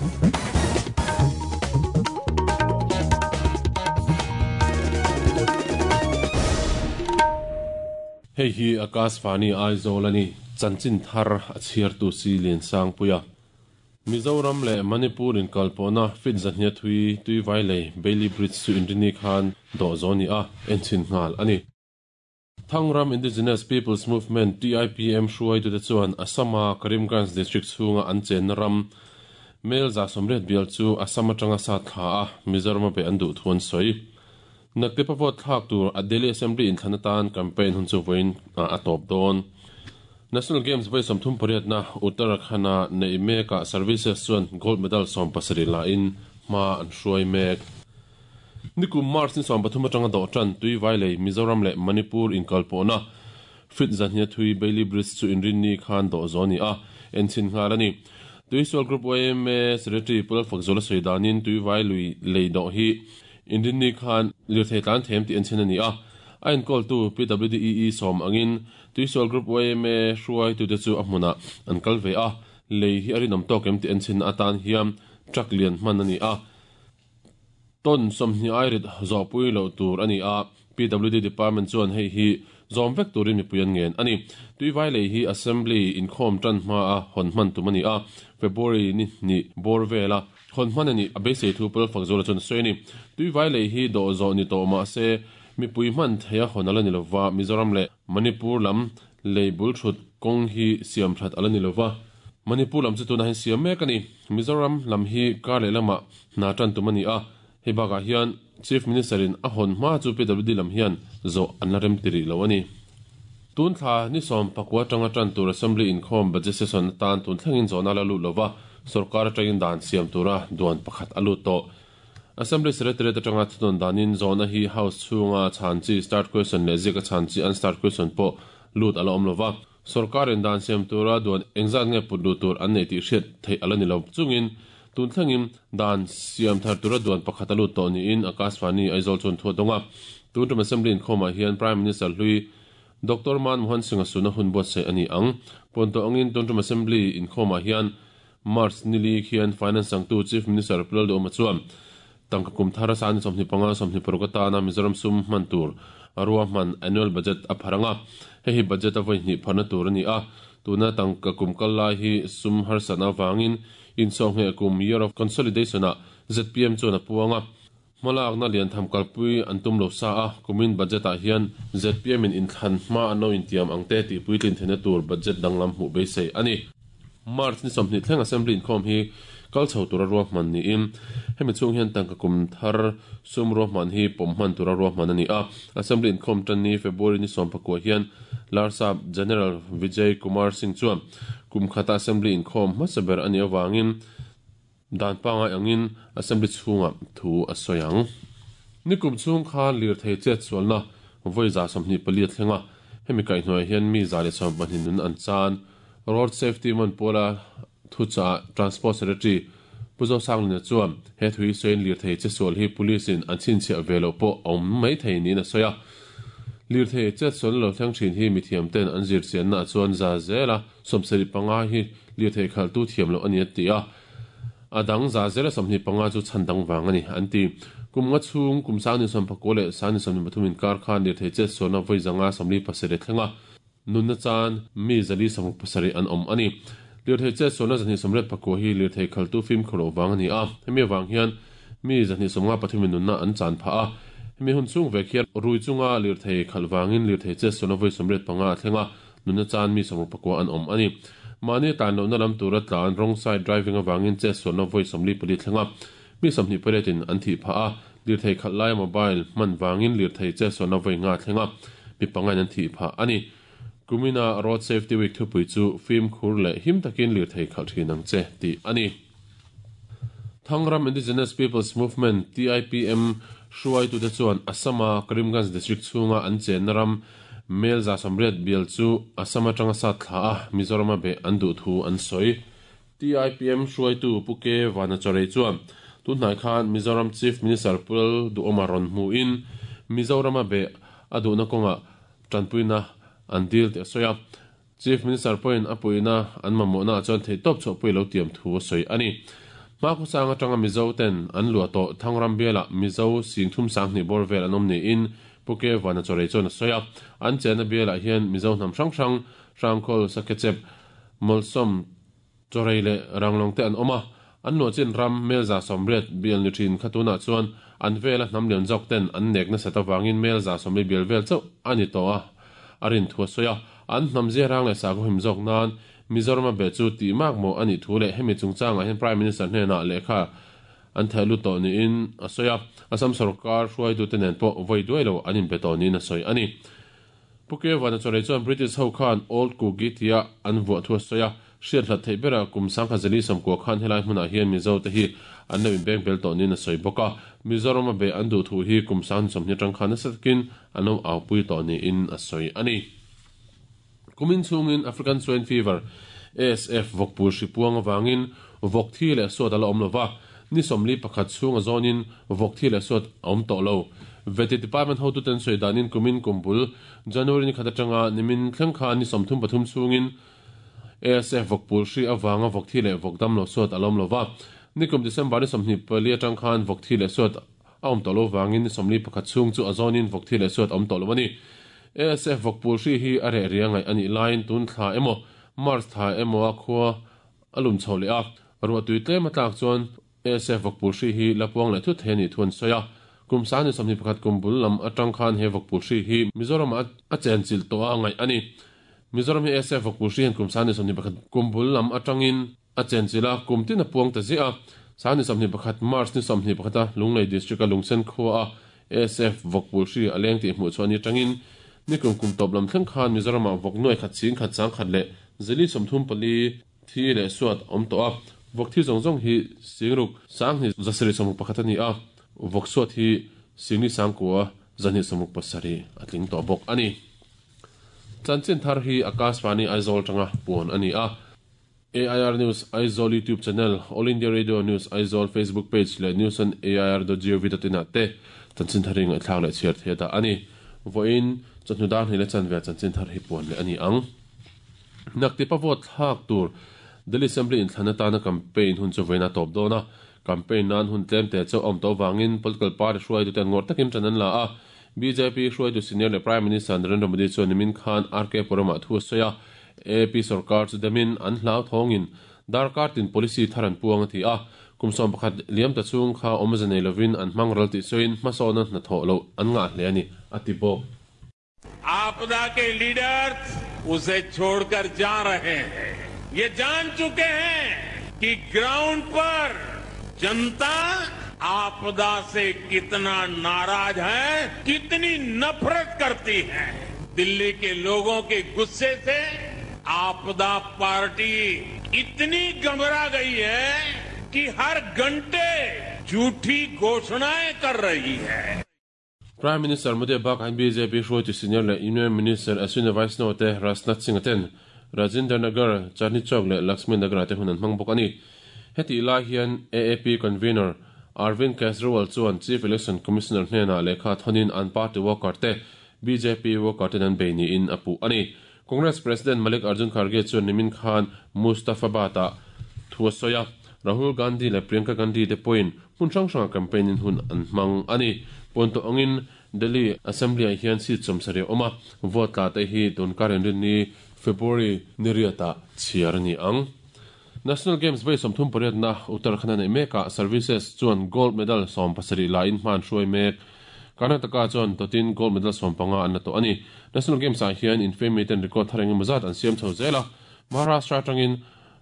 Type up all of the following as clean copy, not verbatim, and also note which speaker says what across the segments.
Speaker 1: Hei hi Akashvani Aizawl a ni, chanchin thar a chhiartu si Liansangpuia. Mizoram leh Manipur inkalpawhna feet zahnia thui Tuivai lei Bailey Bridge chu Inrini khan dawh zawh a ni a, enchhin nghal a ni. Thangram Indigenous Peoples Movement, TIPM, hruaitute chuan Assam-a Karimganj District chhunga an chenna ram Mel 180 bial chu Assam atanga sat thla a, Mizoram a beih an duh thu an sawi. Naktepa vote thlak tur a Delhi Assembly inthlan atan campaign hun chu vawiin a tawp dawn. National Games vawi 38na Uttarakhand-a neih mekah Services chuan gold medal 17 lain hma an hruai mek. Nikum March ni 13 atanga dawh tan Tuivai lei Mizoram leh Manipur inkalpawhna feet zahnia thui Bailey Bridge chu inrinni khan dawh zawh a ni a, enchhin nghal a ni. Tuisual Group yma Secretary Pu Lalfakzuala sawi danin Tuivai lui lei dawh hi Inrinni khan lirthei tlan them tih enchhin a ni a, a enkawltu PWDEE sawm angin Tuisual Group yma hruaitute chu a hmunah an kal ve a, lei hi a rinawm tawk em tih enchhinna atan hian truck lian hman a ni a, ton 20 airit zawhpui loh tur a ni a, PWD Department chuan hei hi zawm vek turin mipui an ngen a ni. Tuivai lei hi Assembly inkhawm tan hmaa hawn hman tum a ni a, February ni hnih bawr vela hawn hman a nih a beisei thu Pawlfak Zuala chuan a sawi a ni. Tuivai lei hi dawh zawh ni tawh mah se mipui hman theia hawn a la ni lova, Mizoram leh Manipur lam lei bul thut kawng hi siam that a la ni lova, Manipur lam chu tunah hian siam mek a ni. Mizoram lam hi kar leh lamah hna tan tum a ni a, Hei bakah hian Chief Minister in a hawn hma chu PWD lam hian zawh an la rem ti rih lo a ni. Tun thla ni 19 atanga tan tur Assembly inkhawm Budget Session atan tun thlengin zawhna la lut lova sorkar atangin dan siam tura duan pakhat a lut tawh. Assembly Secretariat atanga thunawn danin zawhna hi House chhunga chhan chi Start Question leh ziaka chhan chi Unstart Question pawh lut a la awm lova. Sorkarin dan siam tura duan engzat nge put luh tur an neih tih hriat theih a la ni lo chungin tun thlengin dan siam thar tura duan pakhat a lut tawh niin Akashvani Aizawl chuan thu a dawng a. Tun tum Assembly inkhawmah hian Prime Minister hlui Doctor Manmohan Singh-a suna hun buatsaih a ni ang. Puan tawh angin tun tum Assembly inkhawmah hian March nili khian Finance changtu Chief Minister Pu Lalduhoma chuan tangka kum thar a sani 25 26 atana Mizoram sum hman tur a ruahman annual budget a phar ang a, hei hi budget a vawi hnih pharna tur a ni a, tuna tangka kum kal lai hi sum harsatna avangin insawhngheh kum year of consolidation ah zpm chuan a puang a, hmalakna liantham kalpui an tum lo sa a, kumin budget ah hian zpm in inthlan hma an lo intiam ang te tih puitlin theihna tur budget danglam hmuh beisei a ni. March ni 20 thleng Assembly inkhawm hi kal chho tura ruahman niin hemi chhung hian tangka kum thar sum ruahman hi pawm hman tura ruahman a ni a. Assembly inkhawm tan ni February ni 19 hian Larsap General Vijay Kumar Singh chuan kum khata Assembly inkhawm hmasa ber a nih avangin dan pangai angin Assembly chhungah thu a sawi ang. Nikum chhung khan lirthei chetsualna vawi 124 a thleng a, hemi kaihhnuaiah hian mi 112 nun an chan. Road Safety Month pawla thuchah Transport Secretary Pu Zosanglina chuan he thu hi sawiin lirthei chetsual hi Police in an chhinchhiah ve loh pawh a awm mai thei niin a sawi a. Lirthei chetsualna lo thleng thin hi mithiam ten an zirchianna ah chuan za zela 75 hi lirthei khalhtu thiam loh a ni a ti a. A dang za zela 25 chu chhan dang vang a ni an ti. Kum nga chhung kum sangni 19 leh sangni 23 inkar khan lirthei chetsualna vawi 547 a thleng a. Nunna chan mi 467 an awm a ni. Lirthei chetsualna 289 hi lirthei khaltu fimkhur loh vang a ni a, hemi avang hian mi 253 in nunna an chan phah a. Hemi hun chhung vek hian rui chunga lirthei khalh vangin lirthei chetsualna vawi 85 a thleng a, nunna chan mi 64 an awm a ni. Mahni tlan lohna lam tura tlan wrong side driving avangin chetsualna vawi 44 thleng a, mi 28 in an thih phah a, lirthei khalh laia mobile hman vangin lirthei chetsualna vawi nga thleng a, mi pangain an thih phah a ni. Kumina Road Safety Week thupui chu fimkhur leh him takin lirthei khalh thin ang che tih a ni. Thangram Indigenous Peoples Movement, TIPM, hruaitute chuan Assam-a Karimganj District chhunga an chenna ram Mel 180 bial chu Assam atanga sat thla a, Mizoram-a beh an duh thu an sawi. TIPM hruaitu Pu K Vanacharei chuan tunhnai khan Mizoram Chief Minister Pu Lalduhoma rawn hmuhin Mizorama beh a duhna kawngah tanpuina an dil tih a sawi a. Chief Minister pawhin a puihna an mamawhnaah chuan theihtawp chhuahpui lo tiam thu a sawi a ni. Hmakhawsang atanga Mizo ten an luah tawh Thangram bialah Mizo singthum sanghnih bawr vel an awm niin Pu Ke Vana Chawrei chuan a sawi a. An chenna bialah hian Mizo hnam hrang hrang, Hrangkhawl, Sakhechep, Mawlsawm, Chawrei leh Ranglawng te an awm a. An luah chin ram Melza 80 bial ni thin kha tunah chuan an vela hnam lian zawk ten an nek nasat avangin Melza 40 bial vel chauh a ni tawh a, a rin thu a sawi a. An hnam ziarang leh sakhaw him zawk nan Mizoram a beh chu tih mak maw a nih thu leh hemi chungchangah hian Prime Minister hnenah lehkha an theh lut tawh niin a sawi a, Assam sorkar hruaitute nen pawh vawi duai lo an inbe tawh niin a sawi a ni. Pu Kevana Chawrei chuan British ho khan Old Kuki tia an vuah thu a sawi a, hriat hlat theih berah kum sangkhat zali sawmkua khan helai hmunah hian Mizo te hi an lo inbeng bel tawh niin a sawi bawk a, Mizoram a beh an duh thu hi kum sang 20 atang khan nasa takin an lo aupui tawh niin a sawi a ni. Kumin chhungin African Swine Fever, ASF, vawkpui hri puang avangin vawk thi leh suat a la awm lo va, ni 41 chhung a zawnin vawk thi leh suat a awm tawh lo. Vety Department hotuten sawi danin kumin kum bul January ni khat atanga nimin thleng khan ni 33 chhungin ASF vawkpui hri avanga vawk thi leh vawk dam lo suat a la awm lo va. Nikum December ni 24 atang khan vawk thi leh suat a awm tawh lo vangin ni 41 chhung chu a zawnin vawk thi leh suat a awm tawh lo a ni. ASF vawkpul hri hi a reh ria ngaih a nih laiin tun thla emaw March thla emaw a khua a lum chho leh a, ruahtui tlem a tlak chuan ASF vawkpul hri hi la puang leh thut thei a nih thu an sawi a. Kum sang ni 21 kum bul lam atang khan he vawkpul hri hi Mizoram ah a chenchilh tawh a ngaih a ni. Mizoram hi ASF vawkpul hri hian kum sang ni 21 kum bul lam atangin a chenchilh a, kum tin a puang ta ziah a. Sani 21 March ni 21 a Lunglei District a Lungsen khua a ASF vawkpul hri a leng tih hmuh chhuah ni atangin nikum kum tawp lam thleng khan Mizoram ah vawk nuai khat ching khat chang khat leh zili 34 thi leh suat a awm tawh a. Vawk thi zawng zawng hi singruk sanghnih zasarih 61 a ni a, vawk suat hi singli sangkua zahnih 67 a tling tawh bawk a ni. Chanchin thar hi Akashvani Aizawl atanga puan a ni a. AIR News Aizawl YouTube channel, All India Radio News Aizawl Facebook page leh news on air dot gov dot in ah te chanchin thar hi ngaihthlak leh chhiar thei a dah a ni. Vawiin chawhnu dar hnih leh chanve ah chanchin thar hi puan leh a ni ang. Naktipa vote thlak tur Delhi Assembly inthlan atana campaign hun chu vawiin a tawp dawn a, campaign nan hun tlem te chauh a awm tawh avangin political party hruaitute an ngawrh takin ṭan an la a, BJP hruaitu senior leh Prime Minister Narendra Modi chuan nimin khan RK Puram-ah thu a sawi a, AP sorkar chu demin an hlauthawngin darkar tin policy thar an puang a ti a, kum 11 liam ta chhung kha awmze nei lovin an hmang ral tih sawiin hmasawna hnathawh loh an ngah hle a ni, a ti bawk.
Speaker 2: Aapda ke leaders use chhodkar ja rahe hain. Ye jaan chuke hain ki ground par janta aapda se kitna naraz hai, kitni nafrat karti hai. Delhi ke logon ke gusse se aapda party itni ghabra gayi hai ki har ghante jhoothi ghoshnayein kar rahi hai.
Speaker 1: Prime Minister Modi bakah hian BJP hruaitu senior leh Union Minister Ashwini Vaishnaw te Rajnath Singh-a ten Rajinder Nagar, Chandni Chowk leh Laxmi Nagar-ah te hun an hmang bawk a ni. Hetih lai hian AAP Convener Arvind Kejriwal chuan Chief Election Commissioner hnenah lehkha thawnin an party worker te BJP worker ten an bei niin a puh a ni. Congress President Mallikarjun Kharge chuan nimin khan Mustafabad-ah thu a sawi a, Rahul Gandhi leh Priyanka Gandhi te pawhin hmun hrang hrangah campaign-in hun an hmang a ni. Puan tawh angin Delhi Assembly-ah hian seat 70 a awm a, vote tla te hi tunkar inrinni February ni riatah chhiar a ni ang. National Games vawi 38na Uttarakhand a neih mekah Services chuan gold medal 17 lain hma an hruai mek. Karnataka chuan tawtin gold medal 15 an la tawh a ni. National Games ah hian infiammi ten record thar engemaw zat an siam chho zel a. Maharashtra atangin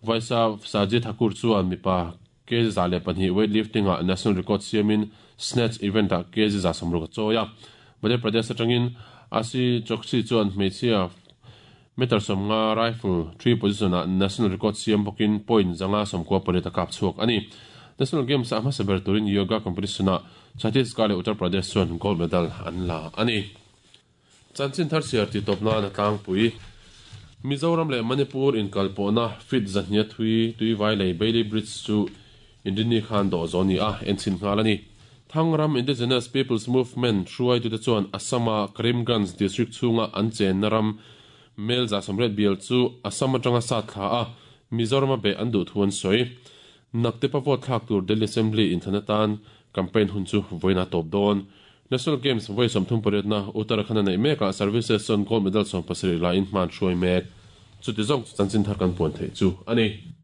Speaker 1: Vaishnav Saji Thakur chuan mipa kg 102 weightlifting ah national record siamin snatch event ah kg 160 a chawi a. Madhya Pradesh atangin Ashi Chokshi chuan hmeichhia Meter 50 rifle three position ah national record siam bawkin point 598 a kap chhuak a ni. National Games ah hmasa ber turin yoga competition ah Chhattisgarh leh Uttar Pradesh chuan gold medal an la a ni. Chanchin thar chhiar tih tawp nan a tlangpui. Mizoram leh Manipur inkalpawhna feet 200 thui Tuivai lei Bailey Bridge chu Inrinni khan dawh zawh a ni a, enchhin nghal a ni. Thangram Indigenous Peoples Movement hruaitute chuan Assam-a Karimganj district chhunga an chenna ram Mel 180 bial chu Assam atanga sat thla a, Mizoram-a beh an duh thu an sawi. Naktepa vote thlak tur Delhi Assembly inthlan atan campaign hun chu vawiin a tawp dawn. National Games vawi 30 pariatna Uttarakhand-a neih mekah Services chuan gold medal 17 la in hman hruai mek. Chuti zawng chu chanchin thar kan puan theih chu a ni.